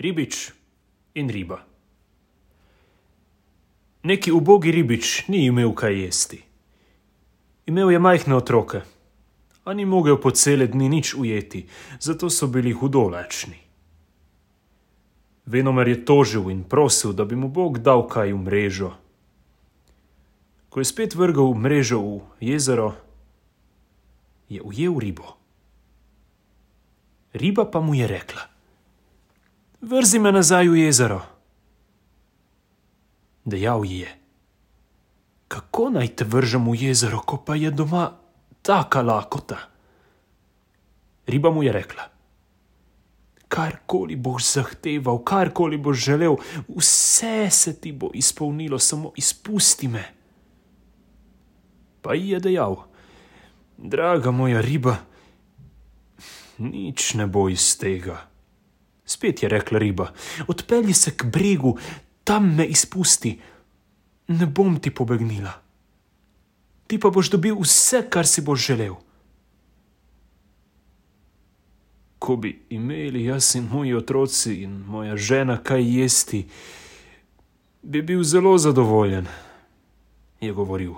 Ribič in riba. Neki ubogi ribič ni imel kaj jesti. Imel je majhne otroke, a ni mogel po cele dni nič ujeti, zato so bili hudo lačni. Venomer je tožil in prosil, da bi mu Bog dal kaj v mrežo. Ko je spet vrgel mrežo v jezero, je ujel ribo. Riba pa mu je rekla: "Vrzi me nazaj v jezero." Dejal ji je: "Kako naj te vržem v jezero, ko pa je doma taka lakota?" Riba mu je rekla: "Karkoli boš zahteval, karkoli boš želel, vse se ti bo izpolnilo, samo izpusti me." Pa ji je dejal: "Draga moja riba, nič ne bo iz tega." Spet je rekla riba: "Odpelji se k bregu, tam me izpusti, ne bom ti pobegnila. Ti pa boš dobil vse, kar si boš želel." "Ko bi imeli jaz in moji otroci in moja žena kaj jesti, bi bil zelo zadovoljen," je govoril.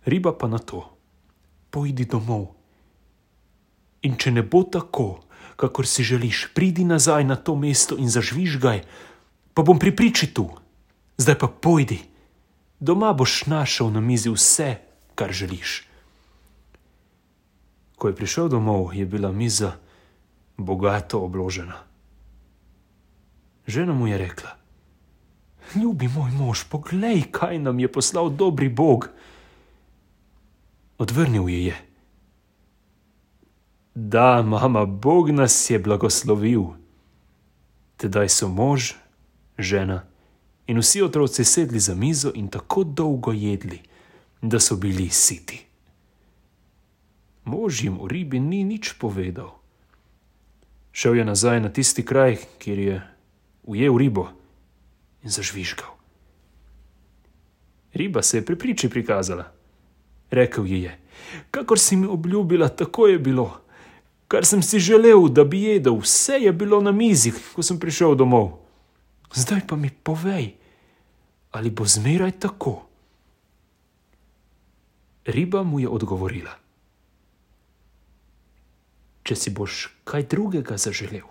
Riba pa na to: "Pojdi domov. In če ne bo tako, kakor si želiš, pridi nazaj na to mesto in zažvižgaj, pa bom pri priči tu. Zdaj pa pojdi. Doma boš našel na mizi vse, kar želiš." Ko je prišel domov, je bila miza bogato obložena. Žena mu je rekla: "Ljubi moj mož, poglej, kaj nam je poslal dobri Bog." Odvrnil ji je: "Da, mama, Bog nas je blagoslovil." Tedaj so mož, žena in vsi otroci sedli za mizo in tako dolgo jedli, da so bili siti. Mož jim o ribi ni nič povedal. Šel je nazaj na tisti kraj, kjer je ujel ribo, in zažvižgal. Riba se je pri priči prikazala. Rekel ji je: "Kakor si mi obljubila, tako je bilo. Kar sem si želel, da bi jedel, vse je bilo na mizi, ko sem prišel domov. Zdaj pa mi povej, ali bo zmeraj tako?" Riba mu je odgovorila: "Če si boš kaj drugega zaželel,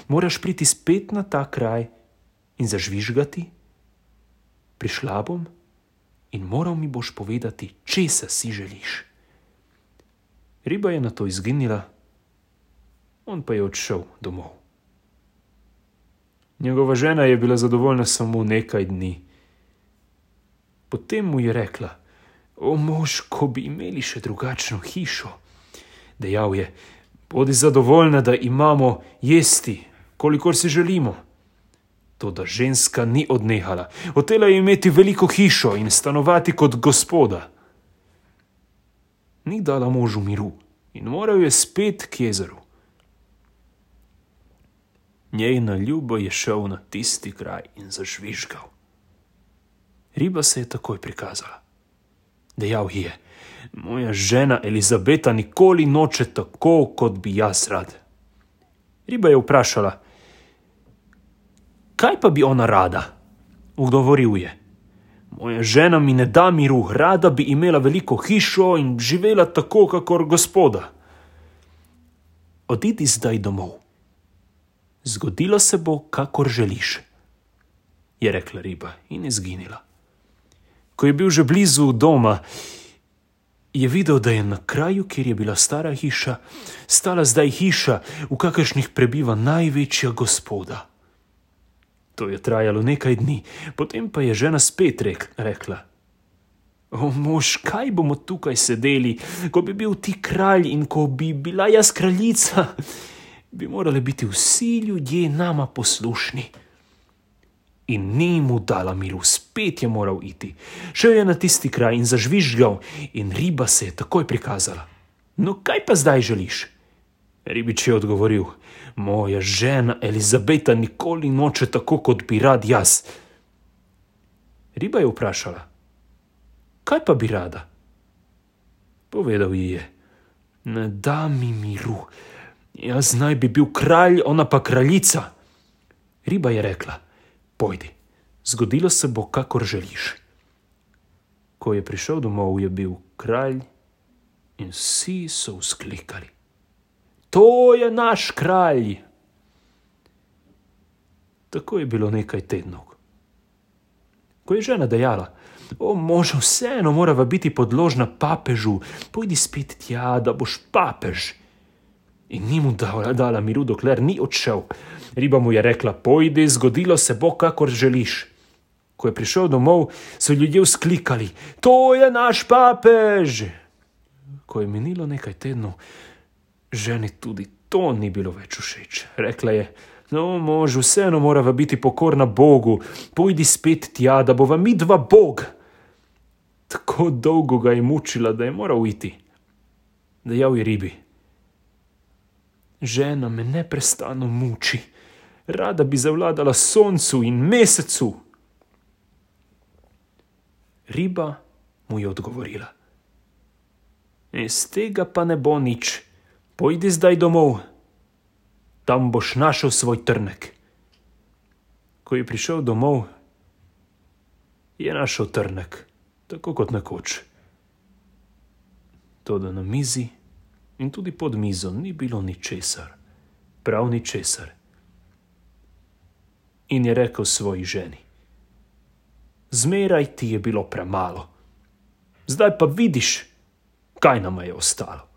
moraš priti spet na ta kraj in zažvižgati. Prišla bom in moral mi boš povedati, česa si želiš." Riba je nato izginila, on pa je odšel domov. Njegova žena je bila zadovoljna samo nekaj dni. Potem mu je rekla: "O mož, ko bi imeli še drugačno hišo." Dejal je: "Bodi zadovoljna, da imamo jesti, kolikor si želimo." Toda ženska ni odnehala. Hotela je imeti veliko hišo in stanovati kot gospoda. Ni dala možu miru in moral je spet k jezeru. Njej na ljubo je šel na tisti kraj in zažvižgal. Riba se je takoj prikazala. Dejal ji je: "Moja žena Elizabeta nikoli noče tako, kot bi jaz rad." Riba je vprašala: "Kaj pa bi ona rada?" Odgovoril je: "Moja žena mi ne da miru, rada bi imela veliko hišo in živela tako, kakor gospoda." "Odidi zdaj domov. Zgodilo se bo, kakor želiš," je rekla riba in izginila. Ko je bil že blizu doma, je videl, da je na kraju, kjer je bila stara hiša, stala zdaj hiša, v kakršnih prebiva največja gospoda. To je trajalo nekaj dni, potem pa je žena spet rekla: "O mož, kaj bomo tukaj sedeli, ko bi bil ti kralj in ko bi bila jaz kraljica, bi morali biti vsi ljudje nama poslušni." In ni mu dala miru, spet je moral iti. Šel je na tisti kraj in zažvižgal in riba se je takoj prikazala. "No, kaj pa zdaj želiš?" Ribič je odgovoril: "Moja žena Elizabeta nikoli noče tako, kot bi rad jaz." Riba je vprašala: "Kaj pa bi rada?" Povedal ji je: "Ne da mi miru. Jaz naj bi bil kralj, ona pa kraljica. Riba je rekla: pojdi, zgodilo se bo, kakor želiš. Ko je prišel domov, je bil kralj in vsi so vzklikali: to je naš kralj! Tako je bilo nekaj tednov. Ko je žena dejala: o, moža, vseeno morava biti podložna papežu, pojdi spet tja, da boš papež. In ni mu dala miru, dokler ni odšel. Riba mu je rekla: pojdi, zgodilo se bo, kakor želiš. Ko je prišel domov, so ljudje vzklikali: to je naš papež! Ko je minilo nekaj tednov, ženi tudi to ni bilo več všeč. Rekla je: no, mož, vseeno morava biti pokorna Bogu, pojdi spet tja, da bova midva Bog. Tako dolgo ga je mučila, da je moral iti. Dejal je ribi: žena me neprestano muči, rada bi zavladala soncu in mesecu. Riba mu je odgovorila: iz tega pa ne bo nič, pojdi zdaj domov, tam boš našel svoj trnek. Ko je prišel domov, je našel trnek, tako kot nekoč. Toda na mizi in tudi pod mizo ni bilo ničesar, prav ničesar. In je rekel svoji ženi: zmeraj ti je bilo premalo, zdaj pa vidiš, kaj nama je ostalo.